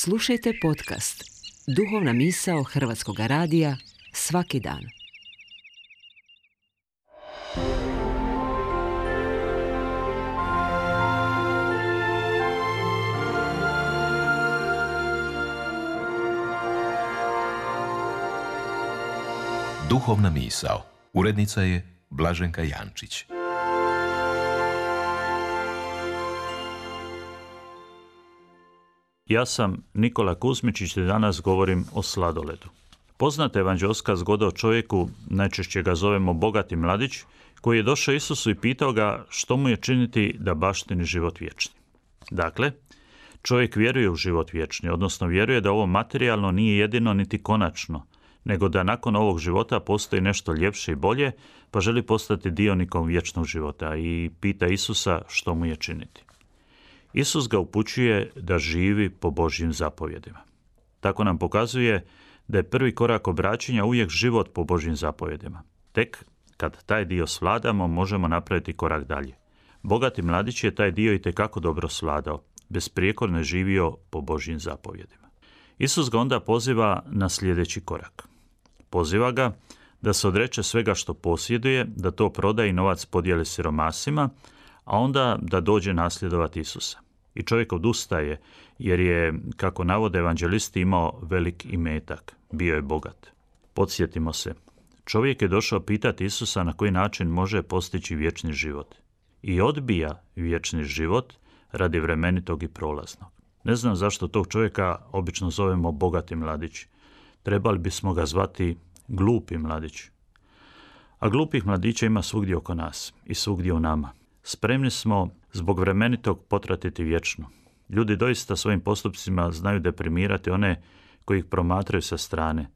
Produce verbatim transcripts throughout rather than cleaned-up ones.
Slušajte podcast Duhovna misao Hrvatskog radija svaki dan. Duhovna misao. Urednica je Blaženka Jančić. Ja sam Nikola Kuzmičić i danas govorim o sladoledu. Poznata evanđeoska zgoda o čovjeku, najčešće ga zovemo bogati mladić, koji je došao Isusu i pitao ga što mu je činiti da baštini život vječni. Dakle, čovjek vjeruje u život vječni, odnosno vjeruje da ovo materijalno nije jedino niti konačno, nego da nakon ovog života postoji nešto ljepše i bolje, pa želi postati dionikom vječnog života i pita Isusa što mu je činiti. Isus ga upućuje da živi po Božjim zapovjedima. Tako nam pokazuje da je prvi korak obraćanja uvijek život po Božjim zapovjedima. Tek kad taj dio svladamo, možemo napraviti korak dalje. Bogati mladić je taj dio itekako dobro svladao, besprijekorno je živio po Božjim zapovjedima. Isus ga onda poziva na sljedeći korak. Poziva ga da se odreče svega što posjeduje, da to proda i novac podijeli siromasima, a onda da dođe nasljedovati Isusa. I čovjek odustaje, jer je, kako navode evanđelisti, imao velik imetak, bio je bogat. Podsjetimo se, čovjek je došao pitati Isusa na koji način može postići vječni život. I odbija vječni život radi vremenitog i prolaznog. Ne znam zašto tog čovjeka obično zovemo bogati mladić. Trebali bismo ga zvati glupi mladić. A glupih mladića ima svugdje oko nas i svugdje u nama. Spremni smo zbog vremenitog potratiti vječno. Ljudi doista svojim postupcima znaju deprimirati one koji ih promatraju sa strane.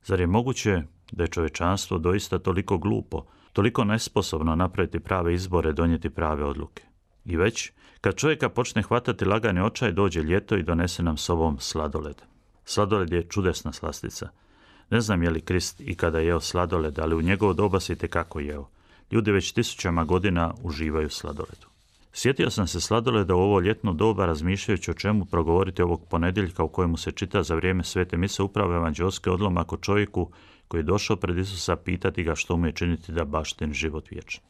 Zar je moguće da je čovječanstvo doista toliko glupo, toliko nesposobno napraviti prave izbore, donijeti prave odluke? I već, kad čovjeka počne hvatati lagani očaj, dođe ljeto i donese nam sobom sladoled. Sladoled je čudesna slastica. Ne znam je li Krist ikada jeo sladoled, ali u njegovo doba se itekako jeo. Ljudi već tisućama godina uživaju sladoledu. Sjetio sam se sladoleda u ovo ljetno doba razmišljajući o čemu progovoriti ovog ponedjeljka u kojemu se čita za vrijeme svete mise upravo evanđeoski odlomak o čovjeku koji je došao pred Isusa pitati ga što mu je činiti da baštini život vječni.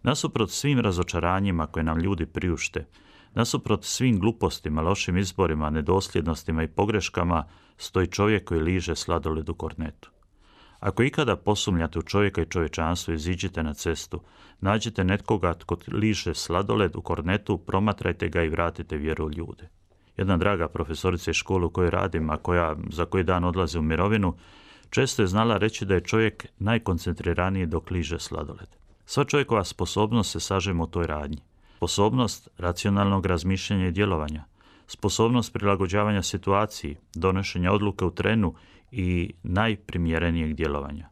Nasuprot svim razočaranjima koje nam ljudi priušte, nasuprot svim glupostima, lošim izborima, nedosljednostima i pogreškama, stoji čovjek koji liže sladoled u kornetu. Ako ikada posumnjate u čovjeka i čovječanstvo, iziđite na cestu, nađite netkoga tko liže sladoled u kornetu, promatrajte ga i vratite vjeru u ljude. Jedna draga profesorica iz škole u kojoj radim, a koja za koji dan odlazi u mirovinu, često je znala reći da je čovjek najkoncentriraniji dok liže sladoled. Sva čovjekova sposobnost se sažema u toj radnji. Sposobnost racionalnog razmišljanja i djelovanja, sposobnost prilagođavanja situaciji, donošenja odluke u trenu i najprimjerenijeg djelovanja,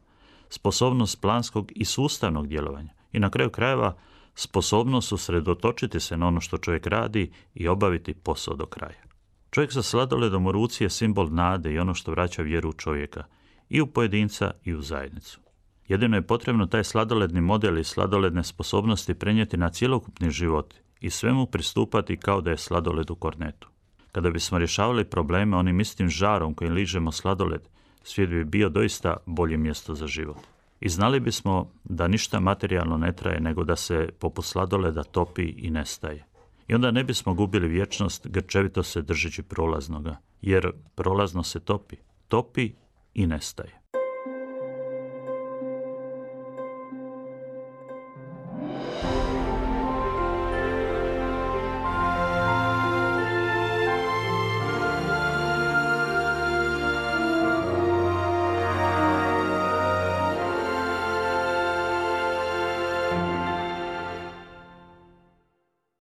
sposobnost planskog i sustavnog djelovanja i na kraju krajeva sposobnost usredotočiti se na ono što čovjek radi i obaviti posao do kraja. Čovjek sa sladoledom u ruci je simbol nade i ono što vraća vjeru u čovjeka, i u pojedinca i u zajednicu. Jedino je potrebno taj sladoledni model i sladoledne sposobnosti prenijeti na cjelokupni život i svemu pristupati kao da je sladoled u kornetu. Kada bismo rješavali probleme onim istim žarom kojim ližemo sladoled, svijet bi bio doista bolje mjesto za život. I znali bismo da ništa materijalno ne traje, nego da se poput sladoleda topi i nestaje. I onda ne bismo gubili vječnost grčevito se držeći prolaznoga, jer prolazno se topi, topi i nestaje.